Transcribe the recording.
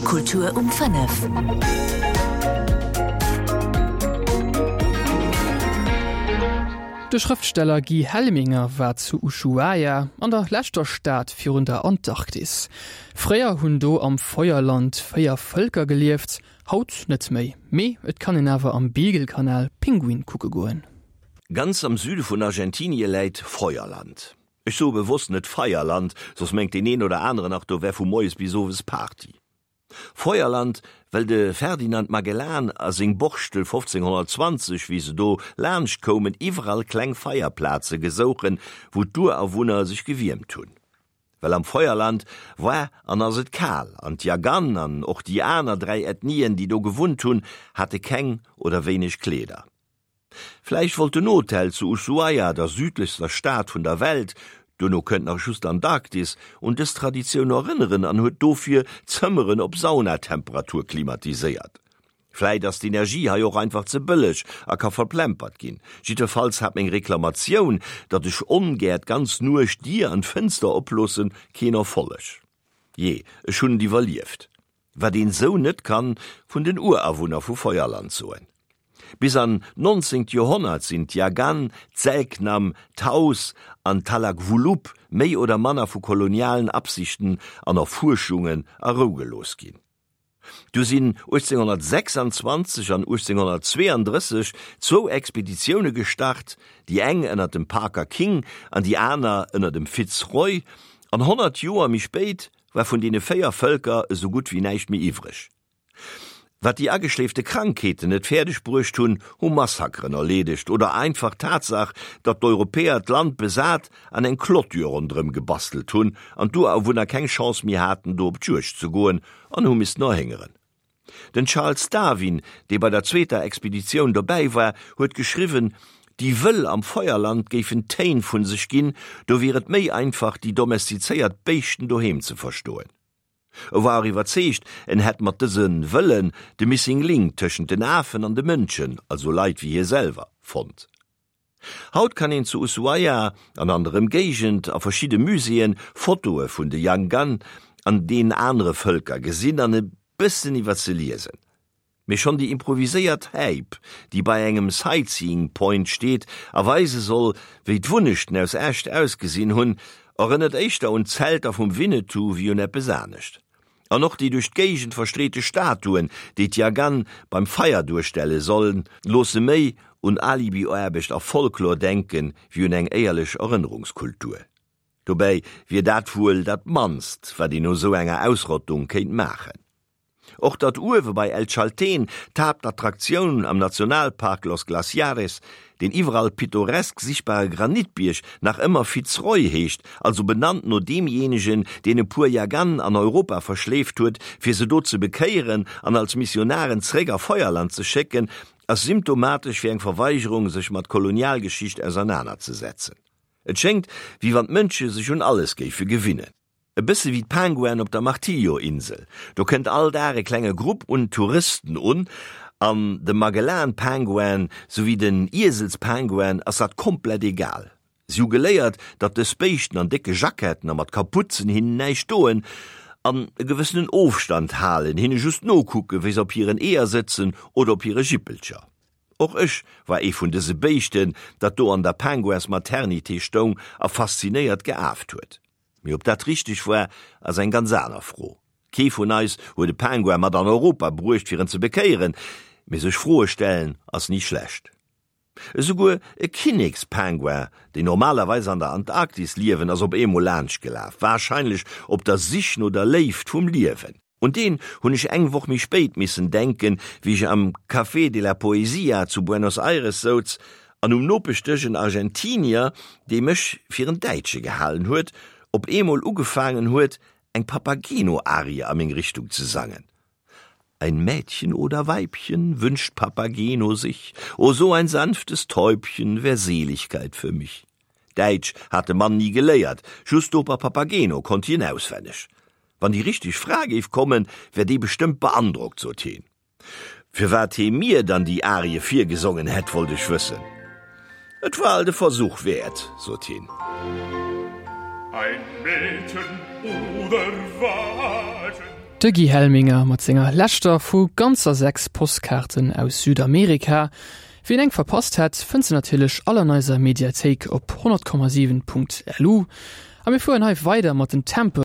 Kultur um 5. De Schrëftsteller Guy Helminger war zu Ushuaia, an der leschter Stad virun der Antarktis. Fréier hunn do am Feuerland 4 Vëlker gelieft, haut net méi. Mee et kann een awer am Beagle-Kanal Pinguine kucke goen. Ganz am Süde vun Argentinie läit Feuerland. Ech soe bewosst net Feierland, soss mengt deen een oder aneren nach, do wär vu moies bis owes Party. Feuerland, well de Ferdinand Magellan a seng Borstel 1520, wéi se do laanscht koumen, iwwerall kleng Feierplaze gesouchen, wou d'Urawunner sech gewiermt hunn. Well am Feuerland war an ass et kal, an d'Yagan an och déi aner 3 Ethnien, déi do gewunnt hunn, hate keng oder wéineg Kleeder. Vläicht wollt den Hotel zu Ushuaia, der südlechster Stad vun der Welt, duerno kënnt nach just d'Antarktis, un dës Traditioun erënneren an huet dofir d'Zëmmeren op Saunatemperatur klimatiséiert. Vläit ass d'Energie hei och einfach ze bëlleg a ka verplempert ginn. Jiddwerfalls hat meng Reklamatioun, datt ech ongär d'ganz Nuecht d'Dier an d'Fënster oploossen, keen Erfolleg. Jee, ech hunn et iwwerlieft. Wat een sou net kann vun den Urawunner vu Feuerland soen. Bis an d'nonzéngt Joerhonnert sinn d'Yagan, d'Selknam, d'Taus an d'Talagwulup méi oder manner vu kolonialen Absichten an Erfuerschungen a Rou gelooss ginn. Du sinn 1826 an 1832 zwou Expeditioune gestart, déi eng ënner dem Parker King an déi aner ënner dem Fitz Roy, an 100 Joer méi spéit war vun deene 4 Vëlker esou gutt wéi näischt méi iwwreg. Wat déi ageschleefte Krankheeten net fäerdeg bruecht hunn, hu Massakeren erleedegt oder einfach d'Tatsaach, datt d'Europäer d'Land besat an eng Clôture ronderëm gebastelt hunn an d'Urawunner keng Chance méi haten do op d'Juegd ze goen an hu missten erhéngeren. Den Charles Darwin, dee bei der zweeter Expeditioun dobäi war, huet geschriwwen, déi Wëll am Feuerland géifen Téin vu sech ginn, do wier et méi einfach déi domestizéiert Béischten doheem ze verstoen. E war och iwwerzeegt, en hätt mat dëse Wëllen de Missing Link tëschent den Afen an de Mënschen, also Leit wéi hie selwer, fonnt. Haut kann een zu Ushuaia an an der Ëmgéigend a verschidde Muséeën Fotoe vun de Yanggan an den anere Vëlker gesinn an e bëssen iwwer se liesen. Mee schonn déi improviséiert Häip, déi bei engem Sightseeing Point steet a weise soll, wéi d'Wunnechten aus Äscht ausgesinn hunn, erënnert éischter un d'Zelter vum Winnetou wéi un eppes anescht. An och déi duerch d'Géigend verstreete Statuen, déi d'Yagan beim Feier duerstelle sollen, loosse méi un Alibi-Aarbecht a Folklor denken, wéi un eng éierlech Erënnerungskultur. Dobäi wier dat wuel dat mannst, wat een no sou enger Ausrottung kéint maachen. Och datt uewe bei El Chaltén, d'Haaptattraktioun am Nationalpark Los Glaciares, deen iwwerall pittoresk sichtbare Granitbierg nach ëmmer Fitz Roy heescht, also benannt no deemjéinegen, deen e puer Yagan an Europa verschleeft huet, fir se do ze bekéieren an als Missionaren zréck a Feuerland ze schécken, ass symptomatesch fir eng Verweigerung, sech mat Kolonialgeschicht ausernanerzesetzen. Et schéngt, wéi wann d'Mënsche sech un alles géife gewinnen. E bësse wéi d'Penguinen op der Martillo-Insel. Do kënnt all Dag e klenge Grupp un Touristen un, an dem Magellan-Penguin souwéi den Ieselspenguin ass dat komplett egal. Si hu geléiert, datt dës Béischten an décke Jacketten a mat Kaputzen hinnen näischt doen an e gewëssenen Ofstand halen, hinne just nokucken, wéi se op hiren Eeër sëtzen oder op hire Jippelcher. Och ech war ee vun dëse Béischten, dat do an der Penguins-Maternité stoung a faszinéiert geaaft huet. Mee ob dat richteg war, ass eng ganz aner Fro. Kee vun eis huet e Penguin mat an Europa bruecht fir en ze bekéieren, mee sech Froe stellen ass ni schlecht. Esouguer e Kinnekspenguin, déi normalerweis an der Antarktis liewen, ass op eemol laanscht gelaf, warscheinlech op der Sich no der Léift vum Liewen. Un deen hunn ech eng Woch méi spéit missen denken, wéi ech am Café de la Poesia zu Buenos Aires souz an um Nopeschdësch en Argentinier, dee mech fir en Däitsche gehalen huet, op eemol ugefaangen huet, eng Papageno-Arie a meng Richtung ze sangen. Ein Mädchen oder Weibchen wünscht Papageno sich, o so ein sanftes Täubchen wär Seligkeit für mich. Däitsch hat de Mann ni geléiert, just d'Oper Papageno konnt hien auswenneg. Wann déi richteg Fra géif kommen, wär déi bestëmmt beandrockt, sot heen. Firwat hee mir dann déi Arie virgesongen hätt, wollt ech wëssen. Et war alt e Versuch wäert, sot heen. Ein Mädchen oder Weibchen. De Guy Helminger mat senger leschter vu ganzer 6 Postkaarten aus Südamerika. Wien eng verpasst hätt, fënnt se natierlech all an eiser Mediathéik op 100,7.lu. A mir fueren hei weider mat den Tempe.